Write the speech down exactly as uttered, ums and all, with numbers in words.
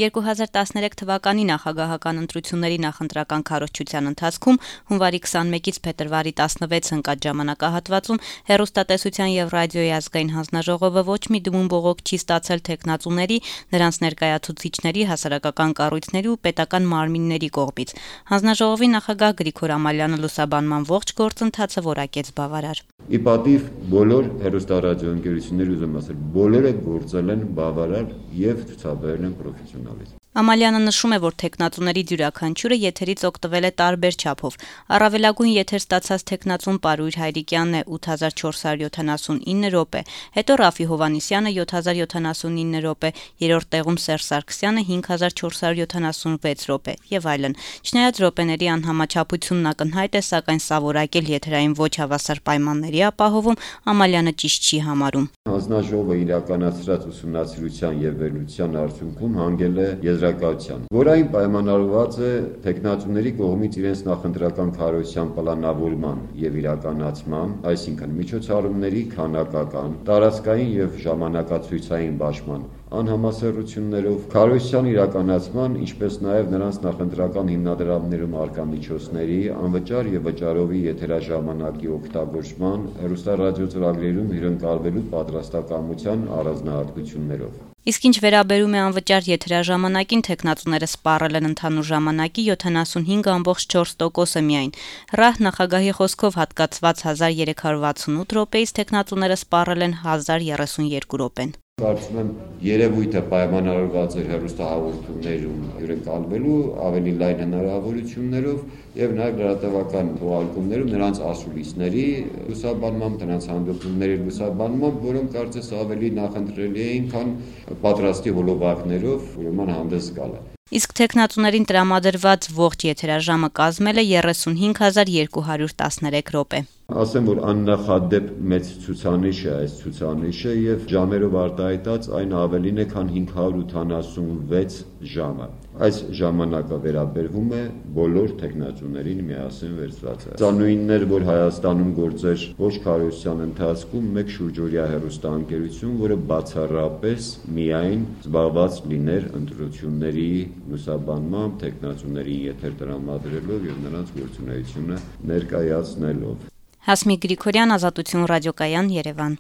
երկու հազար տասներեք թվականի նախագահական ընտրությունների նախընտրական քարոզչության ընթացքում հունվարի քսանմեկից փետրվարի տասնվեց ընկած ժամանակահատվածում հեռուստատեսության եւ ռադիոյի ազգային հանձնաժողովը ոչ մի դիմում բողոք չի ստացել թեկնածուների, նրանց ներկայացուցիչների, հասարակական կառույցների ու պետական մարմինների կողմից։ Հանձնաժողովի նախագահ Գրիգոր Ամալյանը լուսաբանման ողջ գործընթացը որակեց բավարար։ Ի պատիվ բոլոր հեռուստառադիոընկերությունների ուզում ասել, բոլորը գործել են բավարար եւ ցուցաբերել են պրոֆեսիոնալիզմ։ Ամալյանը նշում է, որ թեկնածուների յուրաքանչյուրը եթերից օգտվել է տարբեր չափով։ Առավելագույն եթեր ստացած թեկնածուն Պարույր Հայրիկյանն է ութ հազար չորս հարյուր յոթանասունինը րոպե, հետո Ռաֆի Հովհաննիսյանը յոթ հազար յոթանասունինը րոպե, երրորդ տեղում Սերժ Սարգսյանը հինգ հազար չորս հարյուր յոթանասունվեց րոպե եւ այլն։ Չնայած րոպեների անհամաչափությունն ակնհայտ է, սակայն սա որակել եթերային ոչ հավասար պայմանների ապահովում Ամալյանը ճիշտ չի համարում։ Հանձնաժողովը իրականացրած ուսումնասիրության եւ վերլուծության արդյունքում հանգել է եզրակացության, որային պայմանավորված է թեկնածուների կողմից իրենց նախընտրական քարոզչության պլանավորման եւ իրականացման, այսինքն միջոցառումների քանակական, տարածքային եւ ժամանակացույցային բաշխման անհամասեռություններով, քարոզչության իրականացման, ինչպես նաեւ նրանց նախընտրական հիմնադրամներում արկա միջոցների, անվճար եւ վճարովի եթերաժամանակի օգտագործման, հեռուստառադիո ծրագրերում հյուրընկալվելու պատրաստակամության առանձնահատկություններով։ Իսկ ինչ վերաբերում է անվճար եթերաժամանակին, թեկնածուները սպառել են ընդհանուր ժամանակի յոթանասունհինգ կόμma չորս տոկոսը միայն։ ՌԱՀ նախագահի խոսքով հատկացված հազար երեք հարյուր վաթսունութ րոպեից թեկնածուները սպառել են հազար երեսունյոթ րոպեն։ Կարծում եմ երևույթը պայմանավորված է հեռուստահաղորդումներում հյուրընկալվելու ավելի լայն հնարավորություններով եւ նաեւ լրատվական թողարկումներում նրանց ասուլիսների լուսաբանմամբ, նրանց հանդիպումների լուսաբանմամբ, որոնք կարծես ավելի նախընտրելի էին, քան պատրաստի հոլովակներով ուրեմն հանդես գալը։ Իսկ թեկնածուներին տրամադրված ողջ եթերաժամը կազմել է երեսունհինգ հազար երկու հարյուր տասներեք րոպե։ Ասեմ, որ աննախադեպ մեծ ցուցանիշ է այս ցուցանիշը եւ ժամերով արտահայտած այն ավելին է, քան հինգ հարյուր ութանասունվեց ժամը։ Այս ժամանակը վերաբերվում է բոլոր թեկնածուներին միասին վերցված։ Սա նույնն էր, որ Հայաստանում գործեր ոչ քարոզչության ընթացքում մեկ շուրջօրյա հեռուստաընկերություն, որը բացառապես միայն զբաղված լիներ ընտրությունների լուսաբանմամբ, թեկնածուների եթեր տրամադրելով եւ նրանց գործունեությունը ներկայացնելով։ Հասմիկ Գրիգորյան, Ազատություն ռադիոկայան, Երևան։